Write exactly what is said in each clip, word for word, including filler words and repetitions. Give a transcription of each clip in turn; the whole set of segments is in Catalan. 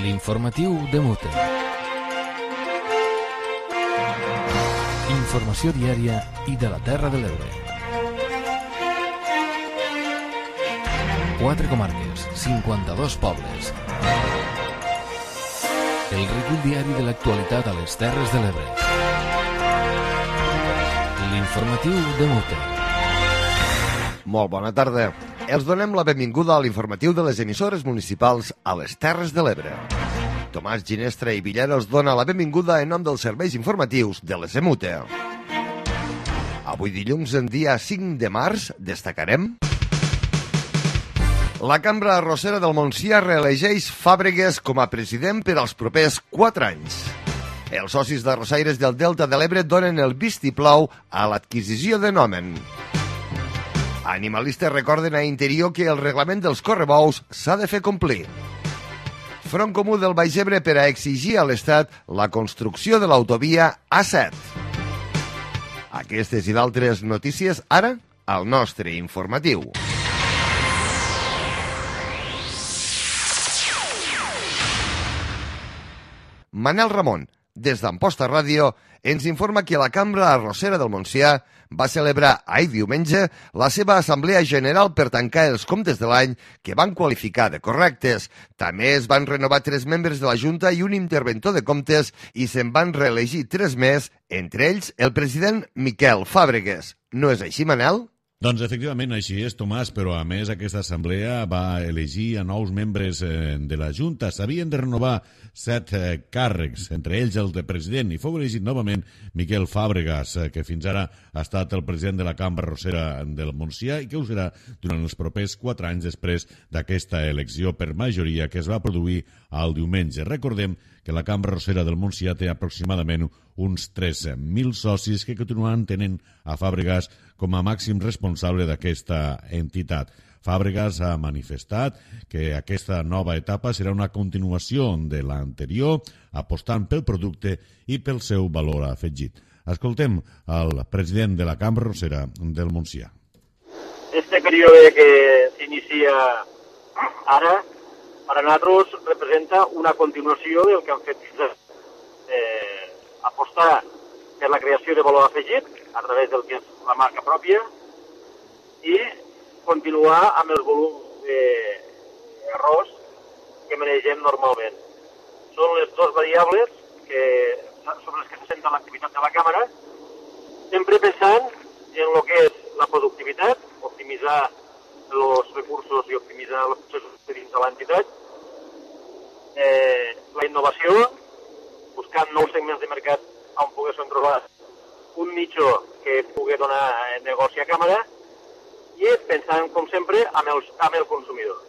L'informatiu de Mute. Informació diària i de la Terra de l'Ebre. Quatre comarques, cinquanta-dos pobles. El recull diari de l'actualitat a les Terres de l'Ebre. L'informatiu de Mute. Molt bona tarda. Els donem la benvinguda a l'informatiu de les emissores municipals a les Terres de l'Ebre. Tomàs Ginestra i Villera us dona la benvinguda en nom dels serveis informatius de les EMUTE. Avui dilluns, en dia cinc de març, destacarem... La Cambra Arrossera del Montsià reelegeix Fàbregues com a president per als propers quatre anys. Els socis d'arrossaires del Delta de l'Ebre donen el vistiplau a l'adquisició de Nomen. Animalistes recorden a Interior que el reglament dels correbous s'ha de fer complir. Front Comú del Baix Ebre per a exigir a l'Estat la construcció de l'autovia A set. Aquestes i d'altres notícies ara al nostre informatiu. Manel Ramon, des d'Amposta Ràdio, ens informa que la Cambra Arrossera del Montsià va celebrar ahir diumenge la seva Assemblea General per tancar els comptes de l'any que van qualificar de correctes. També es van renovar tres membres de la Junta i un interventor de comptes i se'n van reelegir tres més, entre ells el president Miquel Fàbregues. No és així, Manel? Doncs efectivament així és, Tomàs, però a més aquesta assemblea va elegir a nous membres de la Junta. S'havien de renovar set càrrecs, entre ells el de president, i fou elegit novament Miquel Fàbregas, que fins ara ha estat el president de la Cambra Arrossera del Montsià i que ho serà durant els propers quatre anys després d'aquesta elecció per majoria que es va produir el diumenge. Recordem que la Cambra Arrossera del Montsià té aproximadament uns tres mil socis que continuen tenint a Fàbregas com a màxim responsable d'aquesta entitat. Fàbregas ha manifestat que aquesta nova etapa serà una continuació de l'anterior, apostant pel producte i pel seu valor afegit. Escoltem el president de la Cambra Arrossera del Montsià. Este període que s'inicia ara, per a nosaltres representa una continuació del que han fet fins ara. Eh, apostar per la creació de valor afegit a través del que és la marca pròpia i continuar amb el volum d'arròs que manegem normalment. Són les dues variables que, sobre les que se senta l'activitat de la Càmera, sempre pensant en el que és la productivitat, optimitzar els recursos i optimitzar els processos dins de l'entitat, eh, la innovació, buscant nous segments de mercat on poguéssim trobar un nicho que pugui donar negoci a Càmera i pensant, com sempre, amb, els, amb el consumidor.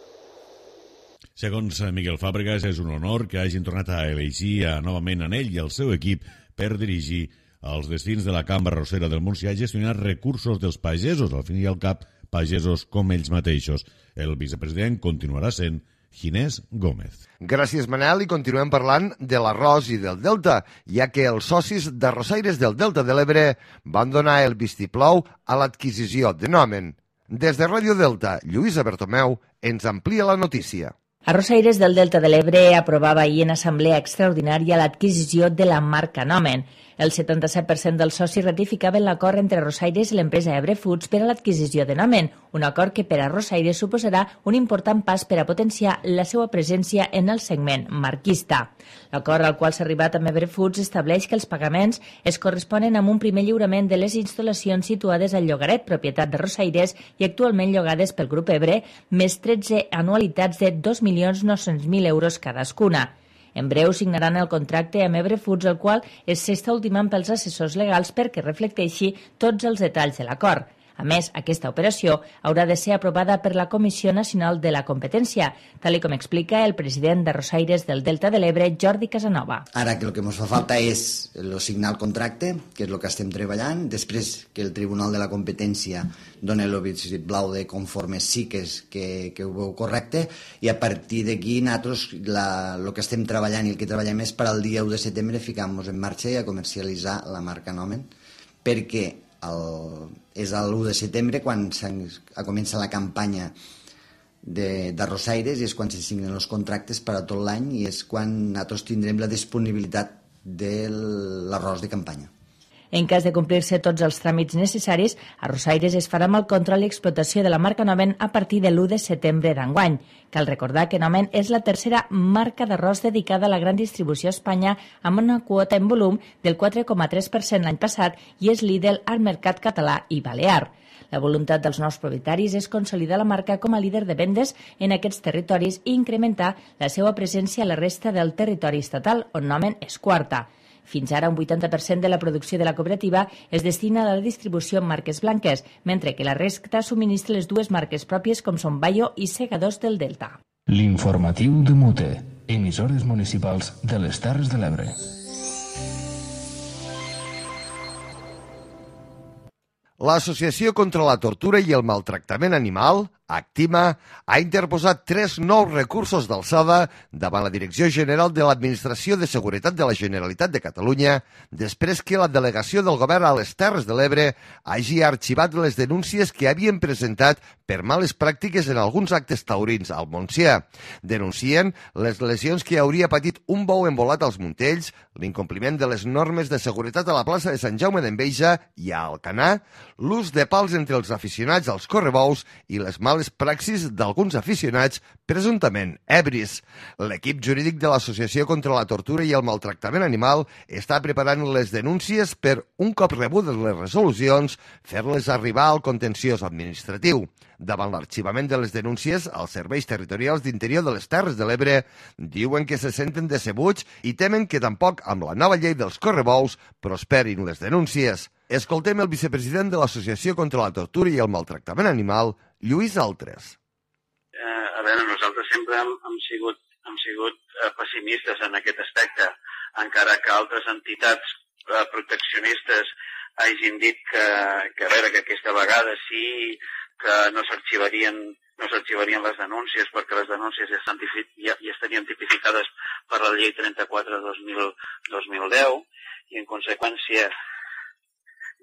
Segons Miquel Fàbregas, és un honor que hagin tornat a elegir a, novament en ell i el seu equip per dirigir els destins de la Cambra Arrossera del Montsià i gestionar recursos dels pagesos, al fin i al cap, pagesos com ells mateixos. El vicepresident continuarà sent Ginés Gómez. Gràcies, Manel, i continuem parlant de l'arròs i del Delta, ja que els socis d'arrossaires del Delta de l'Ebre van donar el vistiplau a l'adquisició de Nomen. Des de Ràdio Delta, Lluïsa Bertomeu ens amplia la notícia. Arrossaires del Delta de l'Ebre aprovava ahir en assemblea extraordinària l'adquisició de la marca Nomen. El setanta-set per cent dels socis ratificaven l'acord entre Arrossaires i l'empresa Ebre Foods per a l'adquisició de Nomen, un acord que per a Arrossaires suposarà un important pas per a potenciar la seva presència en el segment marquista. L'acord al qual s'ha arribat amb Ebre Foods estableix que els pagaments es corresponen amb un primer lliurament de les instal·lacions situades al Llogaret, propietat d'Arrossaires i actualment llogades pel grup Ebre, més tretze anualitats de dos milions nou-cents mil euros cadascuna. En breu signaran el contracte amb Ebre Foods, el qual s'està ultimant pels assessors legals perquè reflecteixi tots els detalls de l'acord. A més, aquesta operació haurà de ser aprovada per la Comissió Nacional de la Competència, tal com explica el president d'Arrossaires del Delta de l'Ebre, Jordi Casanova. Ara que el que ens fa falta és el signar el contracte, que és el que estem treballant, després que el Tribunal de la Competència doni el vistiplau de conforme sí que, és, que, que ho veu correcte, i a partir d'aquí nosaltres la, el que estem treballant i el que treballem és per al dia u de setembre ficar-nos en marxa i a comercialitzar la marca Nomen, perquè el, és l'u de setembre quan comença la campanya d'arrossaires i és quan se signen els contractes per a tot l'any i és quan nosaltres tindrem la disponibilitat de l'arròs de campanya. En cas de complir-se tots els tràmits necessaris, Arrossaires es farà amb el control i explotació de la marca Nomen a partir de l'u de setembre d'enguany. Cal recordar que Nomen és la tercera marca d'arròs dedicada a la gran distribució a Espanya amb una quota en volum del quatre coma tres per cent l'any passat i és líder al mercat català i balear. La voluntat dels nous propietaris és consolidar la marca com a líder de vendes en aquests territoris i incrementar la seva presència a la resta del territori estatal, on Nomen és quarta. Fins ara, un vuitanta per cent de la producció de la cooperativa es destina a la distribució en marques blanques, mentre que la resta subministra les dues marques pròpies com són Bayo i Segadors del Delta. L'informatiu de Mute, emissores municipals de les Terres de l'Ebre. L'Associació contra la Tortura i el Maltractament Animal, Actima, ha interposat tres nous recursos d'alçada davant la Direcció General de l'Administració de Seguretat de la Generalitat de Catalunya després que la delegació del Govern a les Terres de l'Ebre hagi arxivat les denúncies que havien presentat per males pràctiques en alguns actes taurins al Montsià. Denuncien les lesions que hauria patit un bou envolat als Muntells, l'incompliment de les normes de seguretat a la plaça de Sant Jaume d'Enveja i a Alcanar, l'ús de pals entre els aficionats als correbous i les males praxis d'alguns aficionats presumptament ebris. L'equip jurídic de l'Associació contra la Tortura i el Maltractament Animal està preparant les denúncies per, un cop rebudes les resolucions, fer-les arribar al contenciós administratiu. Davant l'arxivament de les denúncies, els serveis territorials d'Interior de les Terres de l'Ebre diuen que se senten decebuts i temen que tampoc amb la nova llei dels correbous prosperin les denúncies. Escoltem el vicepresident de l'Associació contra la Tortura i el Maltractament Animal, Lluís Altres. Eh, a veure, nosaltres sempre hem, hem sigut, hem sigut eh, pessimistes en aquest aspecte, encara que altres entitats eh, proteccionistes hagin dit que, que, a veure, que aquesta vegada sí que no s'arxivarien no s'arxivarien les denúncies perquè les denúncies ja, estan, ja, ja estarien tipificades per la llei trenta-quatre dos mil deu i en conseqüència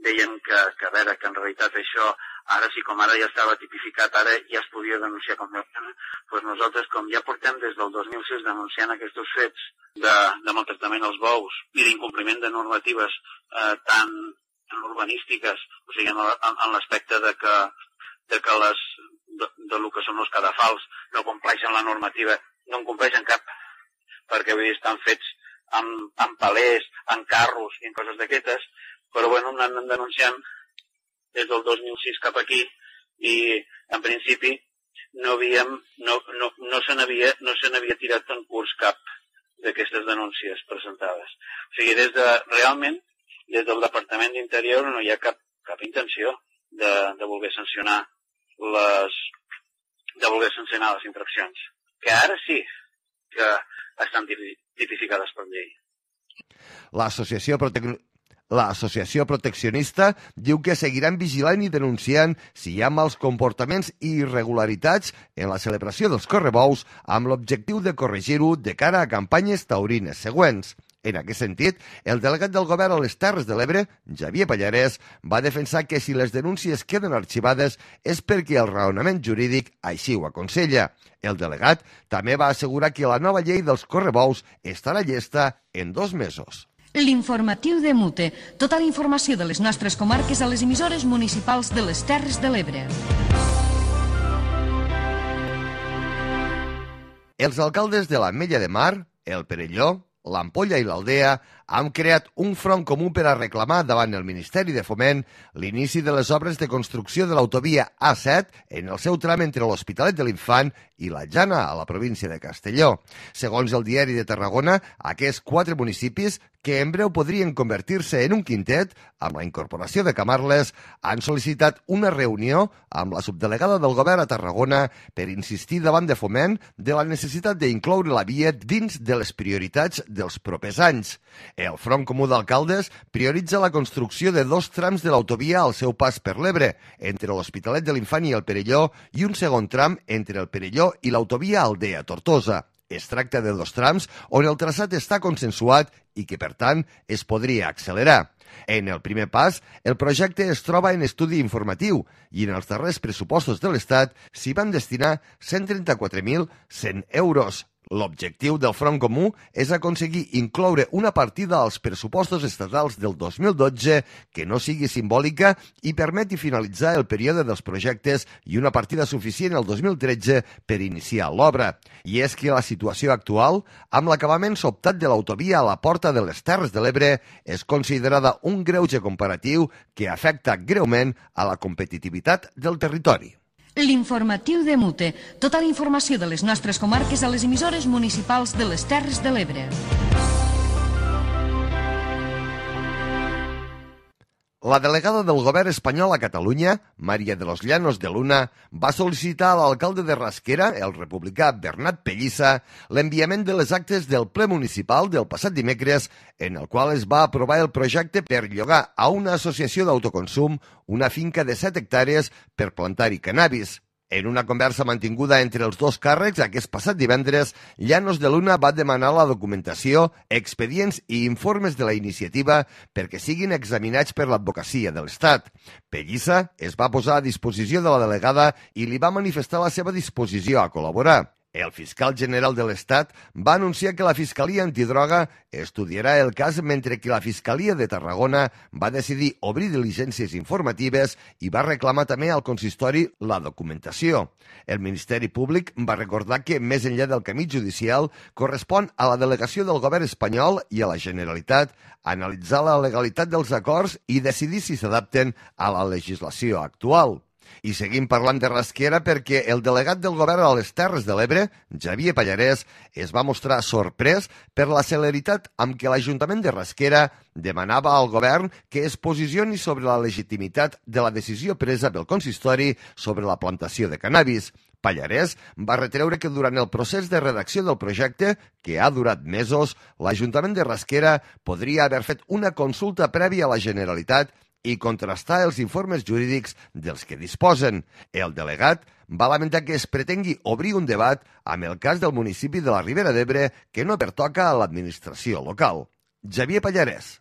deien que, que, a veure, que en realitat això, ara sí com ara ja estava tipificat, ara ja es podia denunciar com a pena. Pues nosaltres, com ja portem des del dos mil sis denunciant aquests fets de, de maltractament als bous i d'incompliment de normatives eh, tan urbanístiques, o sigui, en, en, en l'aspecte de que, de que les, de, de lo que són els cadafals no compleixen la normativa, no en compleixen cap, perquè vull dir, estan fets amb, amb palers, amb carros i en coses d'aquestes, però bueno, anem denunciant des del dos mil sis cap aquí i en principi no, havíem, no, no, no se n'havia no se n'havia tirat en curs cap d'aquestes denúncies presentades. O sigui, des de, realment, des del Departament d'Interior no hi ha cap, cap intenció de, de voler sancionar les de voler sancionar les infraccions, que ara sí que estan tipificades per llei. L'Associació Protec... L'Associació Proteccionista diu que seguiran vigilant i denunciant si hi ha mals comportaments i irregularitats en la celebració dels correbous amb l'objectiu de corregir-ho de cara a campanyes taurines següents. En aquest sentit, el delegat del Govern a les Terres de l'Ebre, Xavier Pallarès, va defensar que si les denúncies queden arxivades és perquè el raonament jurídic així ho aconsella. El delegat també va assegurar que la nova llei dels correbous estarà llesta en dos mesos. L'informatiu de Mute. Tota la informació de les nostres comarques a les emissores municipals de les Terres de l'Ebre. Els alcaldes de l'Ametlla de Mar, el Perelló, l'Ampolla i l'Aldea han creat un front comú per a reclamar davant el Ministeri de Foment l'inici de les obres de construcció de l'autovia A set en el seu tram entre l'Hospitalet de l'Infant i la Jana, a la província de Castelló. Segons el Diari de Tarragona, aquests quatre municipis, que en breu podrien convertir-se en un quintet, amb la incorporació de Camarles, han sol·licitat una reunió amb la subdelegada del Govern a Tarragona per insistir davant de Foment de la necessitat d'incloure la via dins de les prioritats dels propers anys. El Front Comú d'Alcaldes prioritza la construcció de dos trams de l'autovia al seu pas per l'Ebre, entre l'Hospitalet de l'Infant i el Perelló, i un segon tram entre el Perelló i l'autovia Aldea-Tortosa. Es tracta de dos trams on el traçat està consensuat i que, per tant, es podria accelerar. En el primer pas, el projecte es troba en estudi informatiu i en els darrers pressupostos de l'Estat s'hi van destinar cent trenta-quatre mil cent euros. L'objectiu del Front Comú és aconseguir incloure una partida als pressupostos estatals del dos mil dotze que no sigui simbòlica i permeti finalitzar el període dels projectes i una partida suficient el dos mil tretze per iniciar l'obra. I és que la situació actual, amb l'acabament sobtat de l'autovia a la Porta de les Terres de l'Ebre, és considerada un greuge comparatiu que afecta greument a la competitivitat del territori. L'informatiu de Mute. Tota la informació de les nostres comarques a les emissores municipals de les Terres de l'Ebre. La delegada del govern espanyol a Catalunya, Maria de los Llanos de Luna, va sol·licitar a l'alcalde de Rasquera, el republicà Bernat Pellissa, l'enviament de les actes del ple municipal del passat dimecres, en el qual es va aprovar el projecte per llogar a una associació d'autoconsum una finca de set hectàrees per plantar-hi cannabis. En una conversa mantinguda entre els dos càrrecs aquest passat divendres, Llanos de Luna va demanar la documentació, expedients i informes de la iniciativa perquè siguin examinats per l'advocacia de l'Estat. Pellissa es va posar a disposició de la delegada i li va manifestar la seva disposició a col·laborar. El fiscal general de l'Estat va anunciar que la Fiscalia Antidroga estudiarà el cas mentre que la Fiscalia de Tarragona va decidir obrir diligències informatives i va reclamar també al consistori la documentació. El Ministeri Públic va recordar que, més enllà del camí judicial, correspon a la delegació del govern espanyol i a la Generalitat analitzar la legalitat dels acords i decidir si s'adapten a la legislació actual. I seguim parlant de Rasquera perquè el delegat del govern a les Terres de l'Ebre, Xavier Pallarès, es va mostrar sorprès per la celeritat amb què l'Ajuntament de Rasquera demanava al govern que es posicioni sobre la legitimitat de la decisió presa pel consistori sobre la plantació de cannabis. Pallarès va retreure que durant el procés de redacció del projecte, que ha durat mesos, l'Ajuntament de Rasquera podria haver fet una consulta prèvia a la Generalitat i contrastar els informes jurídics dels que disposen. El delegat va lamentar que es pretengui obrir un debat amb el cas del municipi de la Ribera d'Ebre que no pertoca a l'administració local. Xavier Pallarès.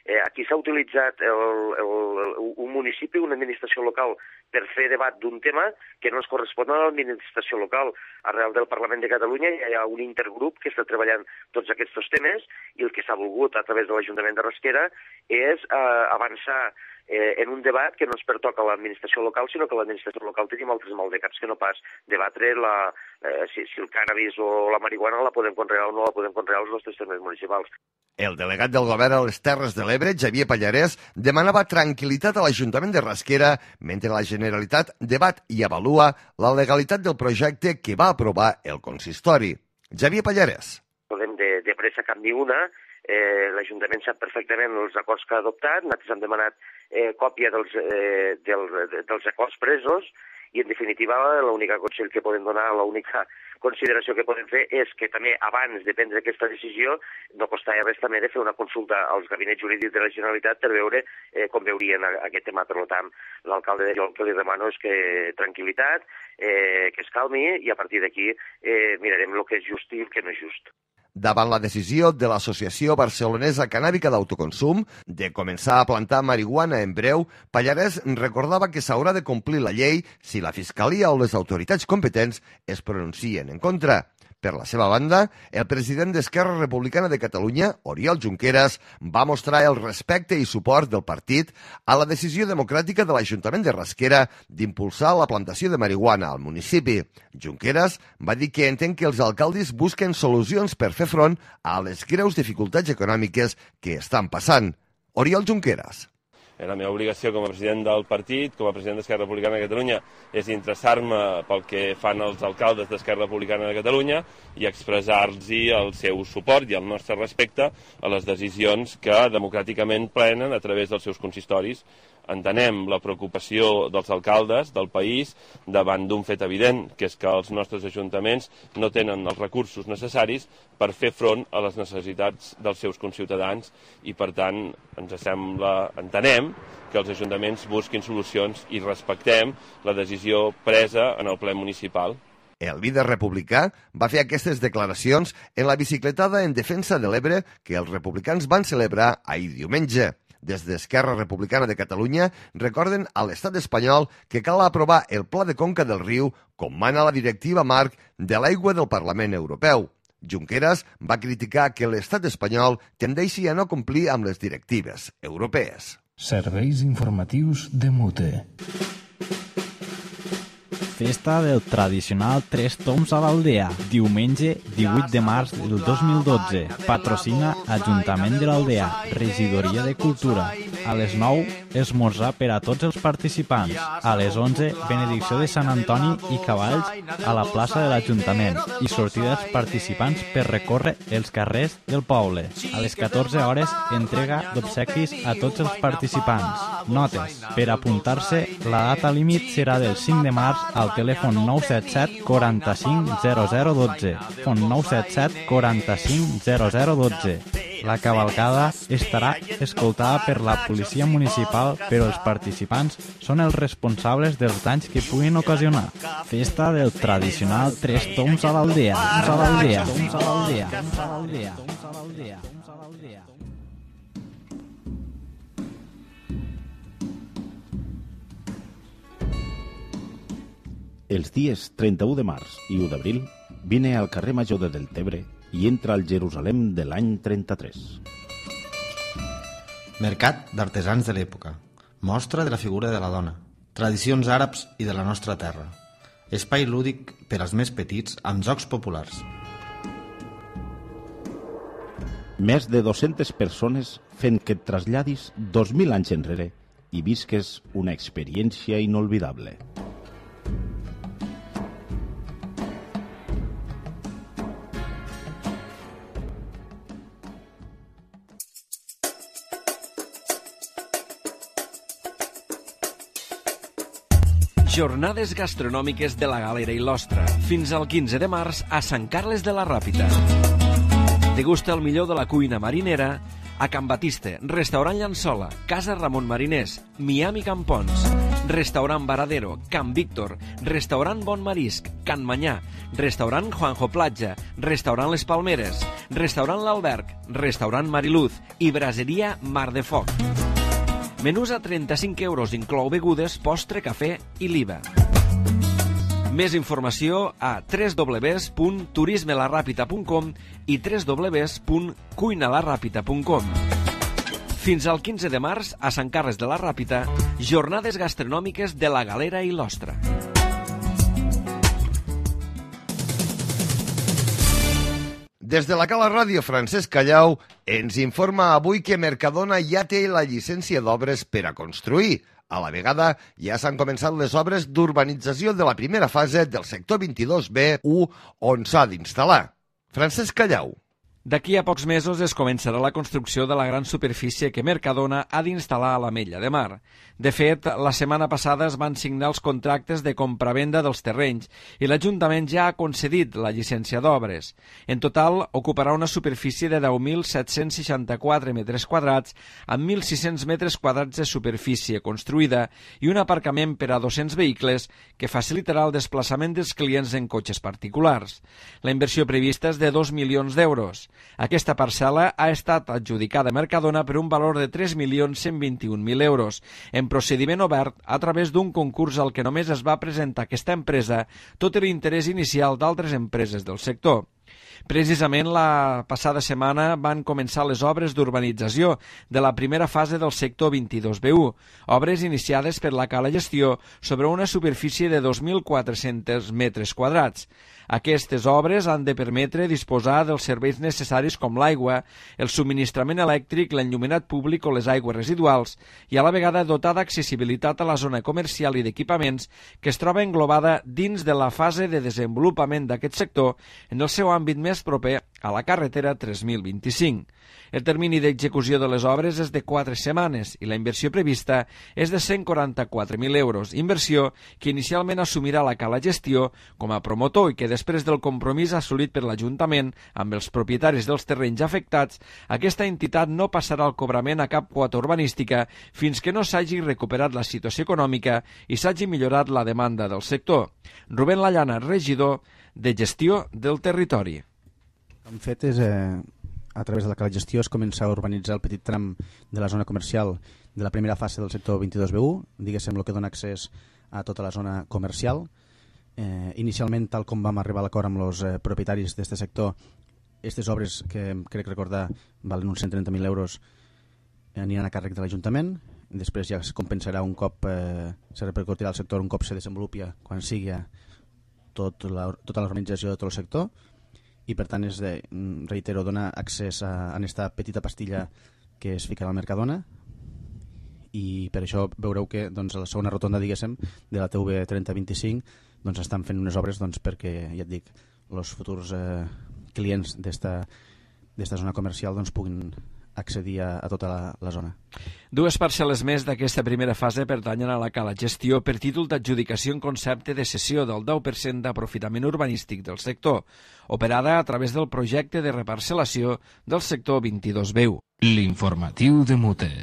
Eh, aquí s'ha utilitzat el, el, el, un municipi, una administració local, per fer debat d'un tema que no es correspon a l'administració local. Arrel del Parlament de Catalunya hi ha un intergrup que està treballant tots aquests temes i el que s'ha volgut a través de l'Ajuntament de Rasquera és eh, avançar eh, en un debat que no es pertoca a l'administració local, sinó que l'administració local tenim altres maldecaps que no pas debatre la, eh, si, si el cànnabis o la marihuana la podem conrear o no la podem conrear als nostres termes municipals. El delegat del govern a les Terres de l'Ebre, Xavier Pallarès, demanava tranquil·litat a l'Ajuntament de Rasquera mentre la Generalitat debat i avalua la legalitat del projecte que va aprovar el consistori. Xavier Pallarès. Podem de, de pressa cap ni una. Eh, L'Ajuntament sap perfectament els acords que ha adoptat. Nosaltres hem demanat eh, còpia dels, eh, del, dels acords presos i, en definitiva, l'única consell que podem donar, l'única consideració que podem fer és que també abans de prendre aquesta decisió no costava res també de fer una consulta als gabinets jurídics de la Generalitat per veure eh, com veurien aquest tema. Per tant, l'alcalde de jo el que li demano és que tranquil·litat, eh, que es calmi i a partir d'aquí eh, mirarem el que és just i el que no és just. Davant la decisió de l'Associació Barcelonesa Cannàbica d'Autoconsum de començar a plantar marihuana en breu, Pallarès recordava que s'haurà de complir la llei si la Fiscalia o les autoritats competents es pronuncien en contra. Per la seva banda, el president d'Esquerra Republicana de Catalunya, Oriol Junqueras, va mostrar el respecte i suport del partit a la decisió democràtica de l'Ajuntament de Rasquera d'impulsar la plantació de marihuana al municipi. Junqueras va dir que entén que els alcaldes busquen solucions per fer front a les greus dificultats econòmiques que estan passant. Oriol Junqueras. La meva obligació com a president del partit, com a president d'Esquerra Republicana de Catalunya, és interessar-me pel que fan els alcaldes d'Esquerra Republicana de Catalunya i expressar-los el seu suport i el nostre respecte a les decisions que democràticament prenen a través dels seus consistoris. Entenem la preocupació dels alcaldes del país davant d'un fet evident, que és que els nostres ajuntaments no tenen els recursos necessaris per fer front a les necessitats dels seus conciutadans i, per tant, ens sembla, entenem que els ajuntaments busquin solucions i respectem la decisió presa en el ple municipal. El líder republicà va fer aquestes declaracions en la bicicletada en defensa de l'Ebre que els republicans van celebrar ahir diumenge. Des d'Esquerra Republicana de Catalunya recorden a l'estat espanyol que cal aprovar el Pla de Conca del Riu com mana la directiva marc de l'aigua del Parlament Europeu. Junqueras va criticar que l'estat espanyol tendeixi a no complir amb les directives europees. Serveis informatius de Mute. Festa del tradicional Tres Toms a l'Aldea, diumenge divuit de març del dos mil dotze. Patrocina Ajuntament de l'Aldea, Regidoria de Cultura. A les nou, esmorzar per a tots els participants. A les onze, benedicció de Sant Antoni i cavalls a la plaça de l'Ajuntament i sortida dels participants per recórrer els carrers del poble. A les catorze hores, entrega d'obsequis a tots els participants. Notes. Per apuntar-se, la data límit serà del cinc de març al telèfon nou set set quaranta-cinc zero zero dotze. Telèfon nou set set quaranta-cinc zero zero dotze. La cavalcada estarà escoltada per la policia municipal, però els participants són els responsables dels danys que puguin ocasionar. Festa del tradicional Tres Toms a l'Aldea. A l'Aldea. A l'Aldea. A l'Aldea. A l'Aldea. A l'Aldea. Els dies trenta-u de març i u d'abril vine al carrer Major de Deltebre i entra al Jerusalem de l'any trenta-tres. Mercat d'artesans de l'època. Mostra de la figura de la dona. Tradicions àrabs i de la nostra terra. Espai lúdic per als més petits amb jocs populars. Més de dues-centes persones fent que et traslladis dos mil anys enrere i visques una experiència inolvidable. Jornades gastronòmiques de la Galera i l'Ostra, fins al quinze de març a Sant Carles de la Ràpita. Degusta el millor de la cuina marinera a Can Batiste, Restaurant Llançola, Casa Ramon Mariners, Miami Campons, Restaurant Varadero, Can Víctor, Restaurant Bon Marisc, Can Manyà, Restaurant Juanjo Platja, Restaurant Les Palmeres, Restaurant L'Alberg, Restaurant Mariluz i Braseria Mar de Foc. Menús a trenta-cinc euros, inclou begudes, postre, cafè i l'I V A. Més informació a w w w punt turisme la ràpita punt com i w w w punt cuina la ràpita punt com. Fins al quinze de març, a Sant Carles de la Ràpita, jornades gastronòmiques de la Galera i l'Ostra. Des de la Cala Ràdio, Francesc Callau ens informa avui que Mercadona ja té la llicència d'obres per a construir. A la vegada, ja s'han començat les obres d'urbanització de la primera fase del sector vint-i-dos B u, on s'ha d'instal·lar. Francesc Callau. D'aquí a pocs mesos es començarà la construcció de la gran superfície que Mercadona ha d'instal·lar a l'Ametlla de Mar. De fet, la setmana passada es van signar els contractes de compravenda dels terrenys i l'Ajuntament ja ha concedit la llicència d'obres. En total, ocuparà una superfície de deu mil set-cents seixanta-quatre metres quadrats amb mil sis-cents metres quadrats de superfície construïda i un aparcament per a dos-cents vehicles que facilitarà el desplaçament dels clients en cotxes particulars. La inversió prevista és de dos milions d'euros. Aquesta parcel·la ha estat adjudicada a Mercadona per un valor de tres milions cent vint-i-un mil euros, en procediment obert a través d'un concurs al que només es va presentar aquesta empresa, tot i l'interès inicial d'altres empreses del sector. Precisament la passada setmana van començar les obres d'urbanització de la primera fase del sector vint-i-dos B u, obres iniciades per la Cala Gestió sobre una superfície de dos mil quatre-cents metres quadrats. Aquestes obres han de permetre disposar dels serveis necessaris com l'aigua, el subministrament elèctric, l'enllumenat públic o les aigües residuals i a la vegada dotar d'accessibilitat a la zona comercial i d'equipaments que es troba englobada dins de la fase de desenvolupament d'aquest sector en el seu àmbit més proper a la carretera tres mil vint-i-cinc. El termini d'execució de les obres és de quatre setmanes i la inversió prevista és de cent quaranta-quatre mil euros, inversió que inicialment assumirà la Cala Gestió com a promotor i que després del compromís assolit per l'Ajuntament amb els propietaris dels terrenys afectats, aquesta entitat no passarà el cobrament a cap quota urbanística fins que no s'hagi recuperat la situació econòmica i s'hagi millorat la demanda del sector. Rubén Lallana, regidor de Gestió del Territori. El fet és, eh, a través de la Cala Gestió, es comença a urbanitzar el petit tram de la zona comercial de la primera fase del sector vint-i-dos B u, diguéssim, el que dona accés a tota la zona comercial. Eh, inicialment, tal com vam arribar a l'acord amb els eh, propietaris d'aquest sector, aquestes obres, que crec recordar valen uns cent trenta mil euros, eh, aniran a càrrec de l'Ajuntament. Després ja es compensarà un cop, eh, se repercutirà al sector un cop se desenvolupi quan sigui tot la, tota l'organització de tot el sector. I per tant, és de, reitero, donar accés a, a aquesta petita pastilla que es ficarà al Mercadona, i per això veureu que doncs, a la segona rotonda, diguéssim, de la T V trenta vint-i-cinc, doncs, estan fent unes obres doncs, perquè, ja et dic, els futurs eh, clients d'esta zona comercial doncs, puguin accedir a, a tota la, la zona. Dues parcel·les més d'aquesta primera fase pertanyen a la Cala Gestió per títol d'adjudicació en concepte de cessió del deu per cent d'aprofitament urbanístic del sector, operada a través del projecte de reparcel·lació del sector vint-i-dos B u. L'informatiu de Mute.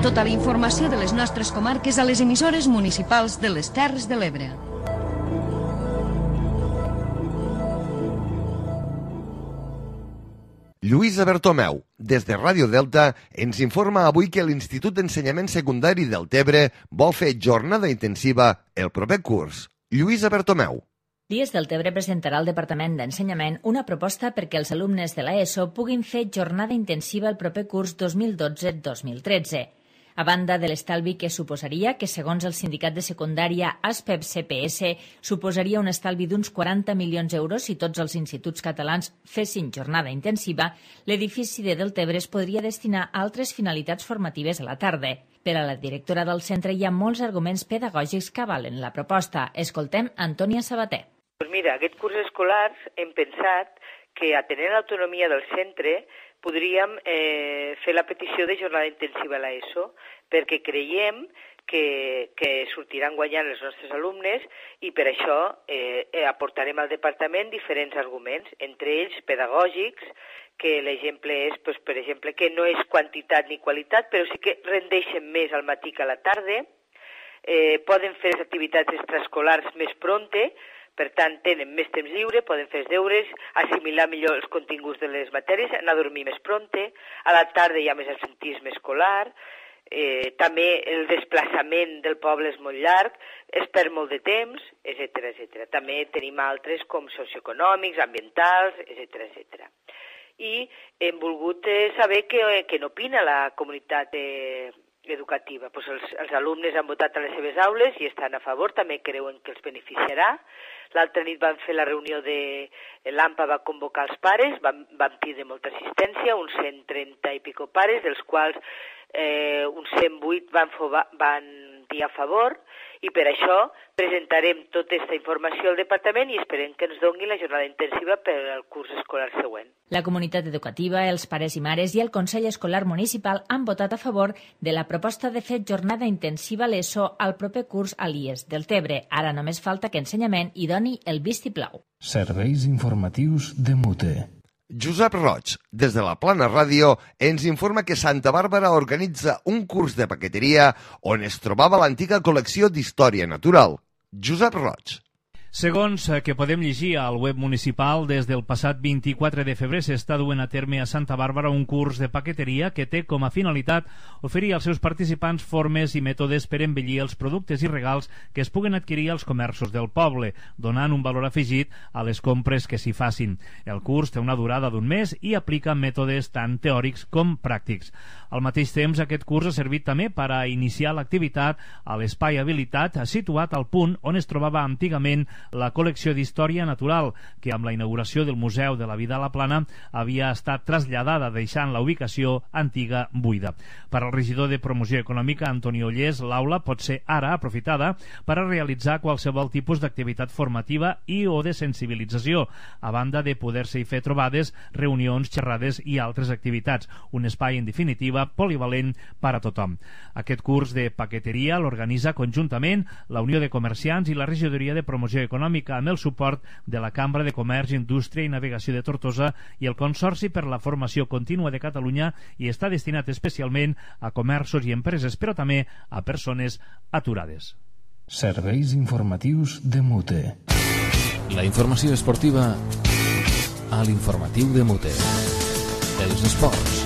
Tota la informació de les nostres comarques a les emissores municipals de les Terres de l'Ebre. Lluïsa Bertomeu, des de Ràdio Delta, ens informa avui que l'Institut d'Ensenyament Secundari del Tebre vol fer jornada intensiva el proper curs. Lluïsa Bertomeu. Dies del Tebre presentarà al Departament d'Ensenyament una proposta perquè els alumnes de l'ESO puguin fer jornada intensiva el proper curs dos mil dotze dos mil tretze. A banda de l'estalvi que suposaria, que segons el sindicat de secundària ASPEP-C P S suposaria un estalvi d'uns quaranta milions d'euros si tots els instituts catalans fessin jornada intensiva, l'edifici de Deltebre es podria destinar a altres finalitats formatives a la tarda. Per a la directora del centre hi ha molts arguments pedagògics que avalen la proposta. Escoltem Antònia Sabater. Pues mira, aquest curs escolar hem pensat que atenent l'autonomia del centre podríem eh, fer la petició de jornada intensiva a l'ESO perquè creiem que, que sortiran guanyant els nostres alumnes i per això eh, aportarem al departament diferents arguments, entre ells pedagògics, que l'exemple és, pues, per exemple, que no és quantitat ni qualitat, però sí que rendeixen més al matí que a la tarda, eh, poden fer les activitats extraescolars més pronte, per tant, tenen més temps lliure, poden fer els deures, assimilar millor els continguts de les matèries, anar a dormir més pronte, a la tarda hi ha més absentisme escolar, eh, també el desplaçament del poble és molt llarg, es perd molt de temps, etcètera, etcètera. També tenim altres com socioeconòmics, ambientals, etcètera, etcètera. I hem volgut saber què, què n'opina la comunitat eh, educativa. Pues els, els alumnes han votat a les seves aules i estan a favor, també creuen que els beneficiarà. L'altra nit van fer la reunió de l'AMPA, va convocar els pares, van, van tindre molta assistència, uns cent trenta i pico pares, dels quals eh, uns cent vuit van, van dir a favor, i per això presentarem tota aquesta informació al departament i esperem que ens doni la jornada intensiva per al curs escolar següent. La comunitat educativa, els pares i mares i el Consell Escolar Municipal han votat a favor de la proposta de fer jornada intensiva a l'ESO al proper curs a l'I E S del Tebre. Ara només falta que Ensenyament hi doni el vistiplau. Serveis informatius de Mute. Josep Roig, des de la Plana Ràdio, ens informa que Santa Bàrbara organitza un curs de paqueteria on es trobava l'antiga col·lecció d'història natural. Josep Roig. Segons que podem llegir al web municipal, des del passat vint-i-quatre de febrer s'està duent a terme a Santa Bàrbara un curs de paqueteria que té com a finalitat oferir als seus participants formes i mètodes per embellir els productes i regals que es puguen adquirir als comerços del poble, donant un valor afegit a les compres que s'hi facin. El curs té una durada d'un mes i aplica mètodes tant teòrics com pràctics. Al mateix temps, aquest curs ha servit també per a iniciar l'activitat a l'espai habilitat situat al punt on es trobava antigament la col·lecció d'història natural, que amb la inauguració del Museu de la Vida a la Plana havia estat traslladada, deixant la ubicació antiga buida. Per al regidor de Promoció Econòmica, Antoni Ollés, l'aula pot ser ara aprofitada per a realitzar qualsevol tipus d'activitat formativa i o de sensibilització, a banda de poder-se-hi fer trobades, reunions, xerrades i altres activitats. Un espai, en definitiva, polivalent per a tothom. Aquest curs de paqueteria l'organitza conjuntament la Unió de Comerciants i la Regidoria de Promoció Econòmica, amb el suport de la Cambra de Comerç, Indústria i Navegació de Tortosa i el Consorci per la Formació Contínua de Catalunya, i està destinat especialment a comerços i empreses, però també a persones aturades. Serveis informatius de Mute. La informació esportiva a l'informatiu de Mute. Els esports.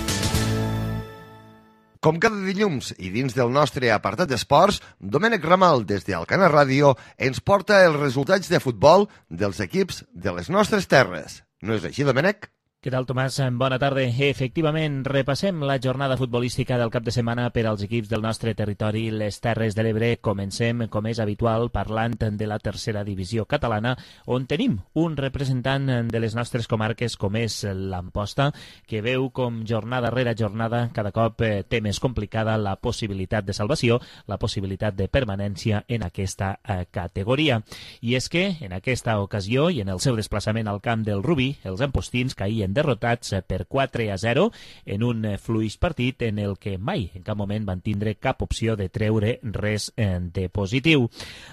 Com cada dilluns i dins del nostre apartat d'esports, Domènec Ramal, des d'Alcana Ràdio, ens porta els resultats de futbol dels equips de les nostres terres. No és així, Domènec? Què tal, Tomàs? Bona tarda. Efectivament, repassem la jornada futbolística del cap de setmana per als equips del nostre territori, les Terres de l'Ebre. Comencem, com és habitual, parlant de la tercera divisió catalana, on tenim un representant de les nostres comarques, com és l'Amposta, que veu com jornada rere jornada cada cop té més complicada la possibilitat de salvació, la possibilitat de permanència en aquesta categoria. I és que, en aquesta ocasió i en el seu desplaçament al camp del Rubí, els ampostins caïen derrotats per quatre a zero en un fluix partit en el que mai en cap moment van tindre cap opció de treure res de positiu.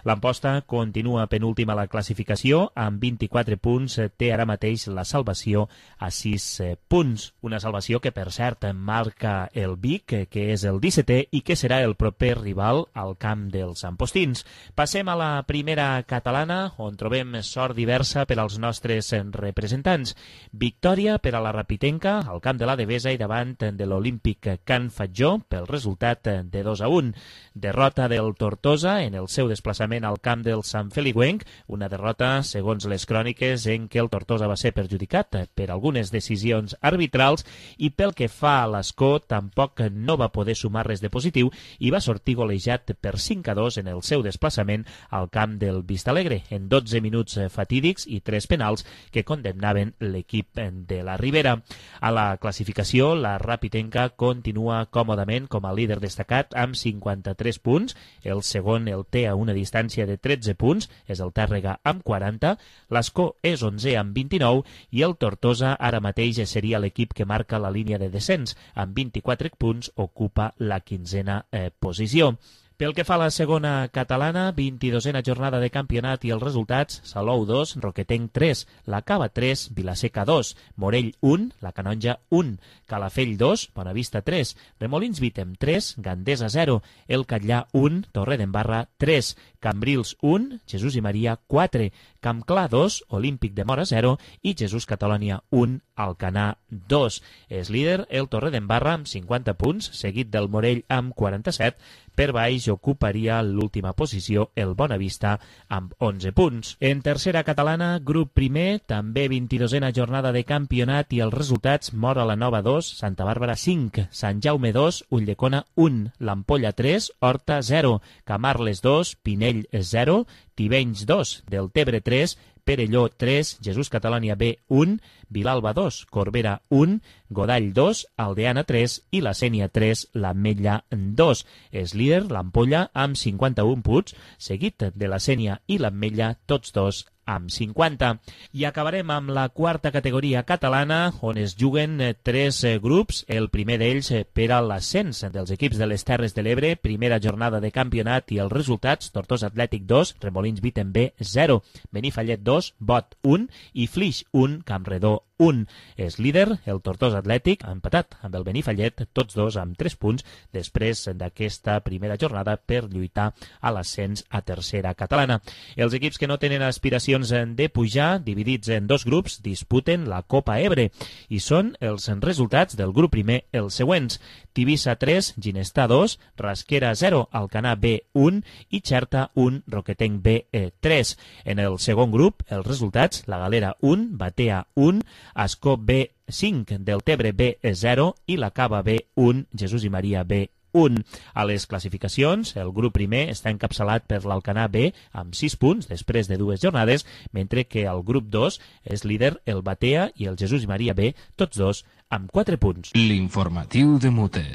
L'Amposta continua penúltima a la classificació amb vint-i-quatre punts, té ara mateix la salvació a sis punts. Una salvació que, per cert, marca el Vic, que és el dissetè i que serà el proper rival al camp dels ampostins. Passem a la primera catalana, on trobem sort diversa per als nostres representants. Victòria per a la Rapitenca al camp de la Devesa i davant de l'Olímpic Can Fatjó pel resultat de dos a un. Derrota del Tortosa en el seu desplaçament al camp del Sant Feliuenc, una derrota, segons les cròniques, en què el Tortosa va ser perjudicat per algunes decisions arbitrals i pel que fa a l'Escó tampoc no va poder sumar res de positiu i va sortir golejat per cinc a dos en el seu desplaçament al camp del Vistalegre en dotze minuts fatídics i tres penals que condemnaven l'equip de la Ribera. A la classificació, la Rapitenca continua còmodament com a líder destacat amb cinquanta-tres punts. El segon el té a una distància de tretze punts, és el Tàrrega amb quaranta. L'Escó és onzè amb vint-i-nou i el Tortosa ara mateix seria l'equip que marca la línia de descens. Amb vint-i-quatre punts ocupa la quinzena eh, posició. Pel que fa a la segona catalana, vint-i-dosena jornada de campionat i els resultats: Salou dos, Roquetenc tres, la Cava tres, Vilaseca dos, Morell un, la Canonja un, Calafell dos, Bonavista tres, Remolins Vítem tres, Gandesa zero, El Catllà un, Torredembarra tres, Cambrils un, Jesús i Maria quatre, Campclar dos, Olímpic de Mora zero i Jesús Catalònia un, Alcanar dos. És líder el Torredembarra amb cinquanta punts, seguit del Morell amb quaranta-set. Per baix ocuparia l'última posició el Bonavista amb onze punts. En tercera catalana, grup primer, també vint-i-dosena jornada de campionat i els resultats: Móra la Nova dos, Santa Bàrbara cinc, Sant Jaume dos, Ulldecona un, l'Ampolla tres, Horta zero, Camarles dos, Pinell zero, Tivenys dos, Deltebre tres, Perelló tres, Jesús Catalònia B un, Vilalba dos, Corbera un, Godall dos, Aldeana tres i la Sénia tres, l'Ametlla dos. És líder l'Ampolla amb cinquanta-un punts, seguit de la Sénia i l'Ametlla, tots dos amb cinquanta. I acabarem amb la quarta categoria catalana, on es juguen tres grups. El primer d'ells per a l'ascens dels equips de les Terres de l'Ebre, primera jornada de campionat i els resultats: Tortosa Atlètic dos, Remolins Vítem B zero, Benifallet dos, Bot un i Flix un, Campredó un. És líder el Tortosa Atlètic, empatat amb el Benifallet, tots dos amb tres punts, després d'aquesta primera jornada per lluitar a l'ascens a tercera catalana. Els equips que no tenen aspiracions de pujar, dividits en dos grups, disputen la Copa Ebre i són els resultats del grup primer els següents: Tivissa tres, Ginestar dos, Rasquera zero, Alcanar B un i Xerta un, Roquetenc B tres. En el segon grup, els resultats: La Galera un, Batea un, Ascó B cinc, Deltebre B zero i la Cava B un, Jesús i Maria B un. A les classificacions, el grup primer està encapçalat per l'Alcanar B amb sis punts després de dues jornades, mentre que el grup dos és líder el Batea i el Jesús i Maria B, tots dos amb quatre punts. L'informatiu de Mute.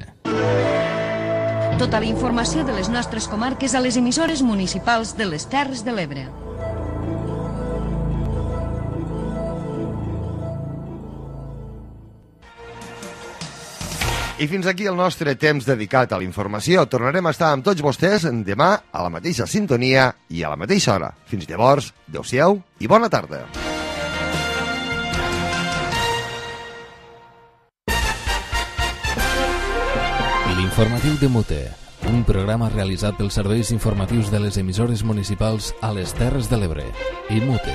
Tota la informació de les nostres comarques a les emissores municipals de les Terres de l'Ebre. I fins aquí el nostre temps dedicat a la informació. Tornarem a estar amb tots vostès demà a la mateixa sintonia i a la mateixa hora. Fins llavors, adeu-siau i bona tarda. L'informatiu de Mute, un programa realitzat pels serveis informatius de les emissores municipals a les Terres de l'Ebre i Mute.